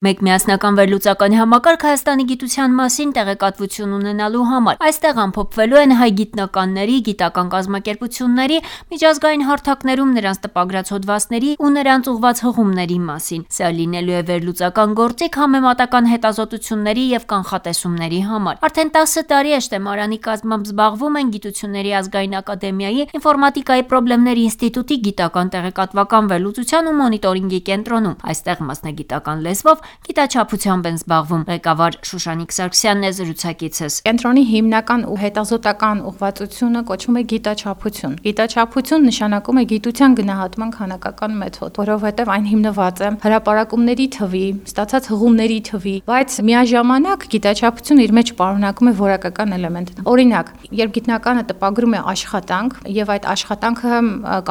Մեկ միասնական վերլուծական համակարգ Հայաստանի գիտության մասին տեղեկատվություն ունենալու համար։ Այստեղ ամփոփվելու են հայ գիտնականների, գիտական կազմակերպությունների, միջազգային հարթակներում նրանց տպագրած հոդվածների ու նրանց ուղղված հղումների մասին։ Սա լինելու է վերլուծական գործիք համեմատական հետազոտությունների եւ կանխատեսումների համար։ Արդեն 10 տարի է շտեմարանի կազմամբ զբաղվում են Գիտությունների ազգային ակադեմիայի ինֆորմատիկայի խնդիրների ինստիտուտի գիտական տեղեկատվական վերլուծության ու մոնիտորինգի կենտրոնում։ Այստեղ մասնագիտական լեզվով գիտաչափությամբ են զբաղվում։ Ղեկավար Շուշանիկ Սարգսյանն է զրուցակիցս։ Կենտրոնի հիմնական ու հետազոտական ուղղվածությունը կոչվում է գիտաչափություն։ Գիտաչափություն նշանակում է գիտության գնահատման քանակական մեթոդ, որովհետև այն հիմնված է հրապարակումների թվի, ստացած հղումների թվի, բայց միաժամանակ գիտաչափությունը իր մեջ պարունակում է որակական էլեմենտ։ Օրինակ, երբ գիտնականը տպագրում է աշխատանք եւ այդ աշխատանքը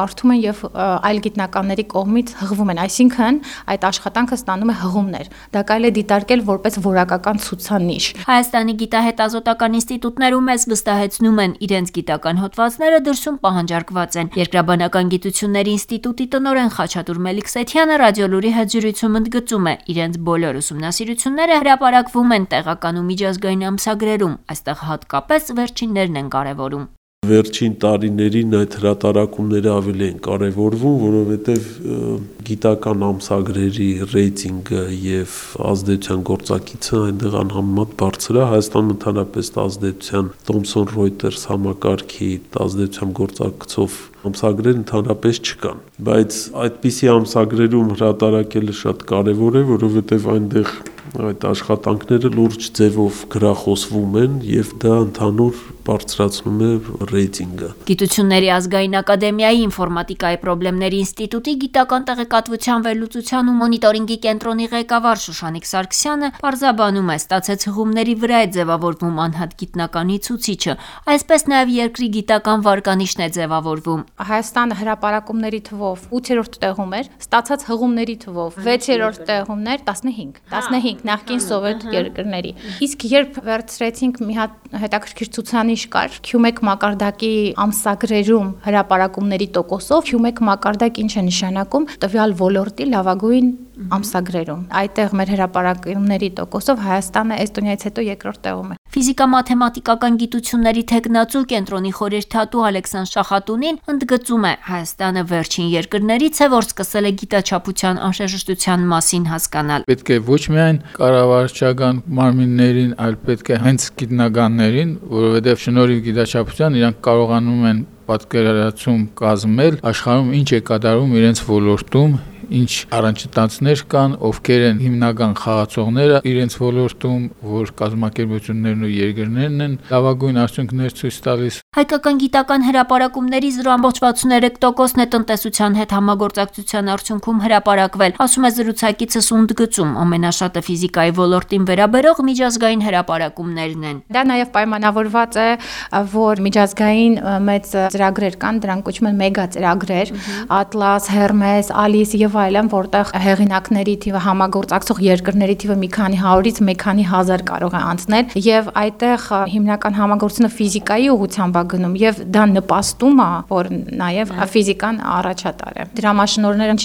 կարդում են եւ այլ գիտնականների կողմից հղվում են, այսինքն այդ աշխատանքը ստանում է հղումներ։ Դա կարելի է դիտարկել որպես որակական ցուցանիշ։ Հայաստանի գիտահետազոտական ինստիտուտներում մեզ վստահեցնում են, իրենց գիտական հոդվածները դրսում պահանջարկված են։ Երկրաբանական գիտությունների ինստիտուտի տնօրեն Խաչատուր Մելիքսեթյանը Ռադիոլուրի հետ զրույցում ընդգծում է, իրենց բոլոր ուսումնասիրությունները հրապարակվում են տեղական ու միջազգային ամսագրերում, այստեղ հատկապես վերջիններն են կարևորում։ Վերջին տարիներին այդ հրատարակումները ավելի են կարևորվում, որովհետև գիտական ամսագրերի ռեյտինգը եւ ազդեցության գործակիցը այնտեղ անհամեմատ բարձր է։ Հայաստանում ընդհանրապես ազդեցության Thomson Reuters համակարգի ազդեցության գործակցով ամսագրեր ընդհանրապես չկան, բայց այդպիսի ամսագրերում հրատարակելը շատ կարևոր է, որովհետև այնտեղ այդ աշխատանքները լուրջ ձևով գրախոսվում են եւ դա ընդհանուր բարձրացնում է ռեյտինգը։ Գիտությունների ազգային ակադեմիայի ինֆորմատիկայի խնդիրների ինստիտուտի գիտական տեղեկատվության վերլուծության ու մոնիտորինգի կենտրոնի ղեկավար Շուշանիկ Սարգսյանը պարզաբանում է, ստացած հղումների վրա է ձևավորվում անհատ գիտնականի ցուցիչը, այսպես նաեւ երկրի գիտական վարկանիշն է ձևավորվում։ Հայաստանը հրապարակումների թվով 8-րդ տեղում էր, ստացած հղումների թվով 6-րդ տեղումն էր 15 նախկին սովետ երկրների։ Իսկ երբ վերցրեցինք մի հատ հետաքրքիր ցուցանիշ կար Q1 մակարդակի ամսագրերում հրապարակումների տոկոսով, Q1 մակարդակ ինչ է նշանակում տվյալ ոլորտի լավագույն ամսագրերում։ Այդտեղ մեր հրապարակումների տոկոսով Հայաստանը Էստոնիայից հետո երկրորդ տեղում է։ Ֆիզիկա-մաթեմատիկական գիտությունների թեկնածու կենտրոնի խորհրդատու Ալեքսանդր Շախատունին ընդգծում է, Հայաստանը վերջին երկրներից է, որ սկսել է գիտաչափության անհրաժեշտության մասին հասկանալ։ Պետք է ոչ միայն կառավարչական մարմիններին, այլ պետք է հենց գիտնականներին, որովհետև շնորհիվ գիտաչափության իրանք կարողանում են պատկերացում կազմել աշխարհում ինչ է կատարվում իրենց ոլորտում, ինչ առանջատանցներ կան, ովքեր են հիմնական խաղացողները իրենց ոլորտում, որ կազմակերպություններն ու երկրներն են լավագույն արդյունքներ ցույց տալիս։ Հայկական գիտական հրապարակումների 0.63%-ն է տնտեսության հետ համագործակցության արդյունքում հրապարակվել, ասում է զրուցակիցս ու ընդգծում, ամենաշատը ֆիզիկայի ոլորտին վերաբերող միջազգային հրապարակումներն են։ Դա նաև պայմանավորված է, որ միջազգային մեծ ծրագրեր կան, դրանք կոչվում են մեգա ծրագրեր, Atlas, Hermes, Alice եւ այլն, որտեղ հեղինակների թիվը համագործակցող երկրների թիվը մի քանի 100-ից մի քանի 1000 կարող է անցնել եւ այդտեղ հիմնական համագործությունը ֆիզիկայի ուղղությամբ է գնում եւ դա նպաստում է, որ նաեւ ֆիզիկան առաջատար է։ Դրամաշնորհները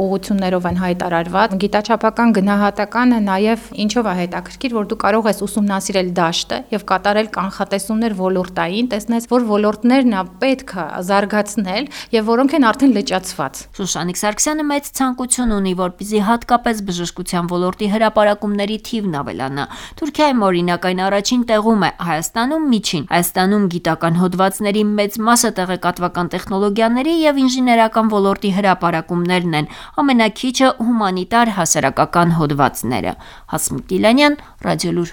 ուղղություններով են հայտարարված, գիտաչափական գնահատականը նաեւ ինչով է հետաքրքիր, որ դու կարող ես ուսումնասիրել դաշտը եւ կատարել կանխատեսումներ ոլորտային, տեսնես, որ ոլորտներն է պետք է զարգացնել եւ որոնք են արդեն լճացված։ Շուշանիկ Սարգսյանը մեծ ցանկություն ունի, որպեսզի հատկապես բժշկության ոլորտի հրապարակումների թիվն ավելանա։ Թուրքիայում օրինակ այն առաջին տեղում է, Հայաստանում միջին։ Հայաստանում գիտական հոդվածների մեծ մասը տեղեկատվական տեխնոլոգիաների եւ ինժեներական ոլորտի հրապարակումներն են, ամենակիչը հումանիտար հասարակական հոդվածները։ Հասմիկ Դիլանյան, Ռադիոլուր։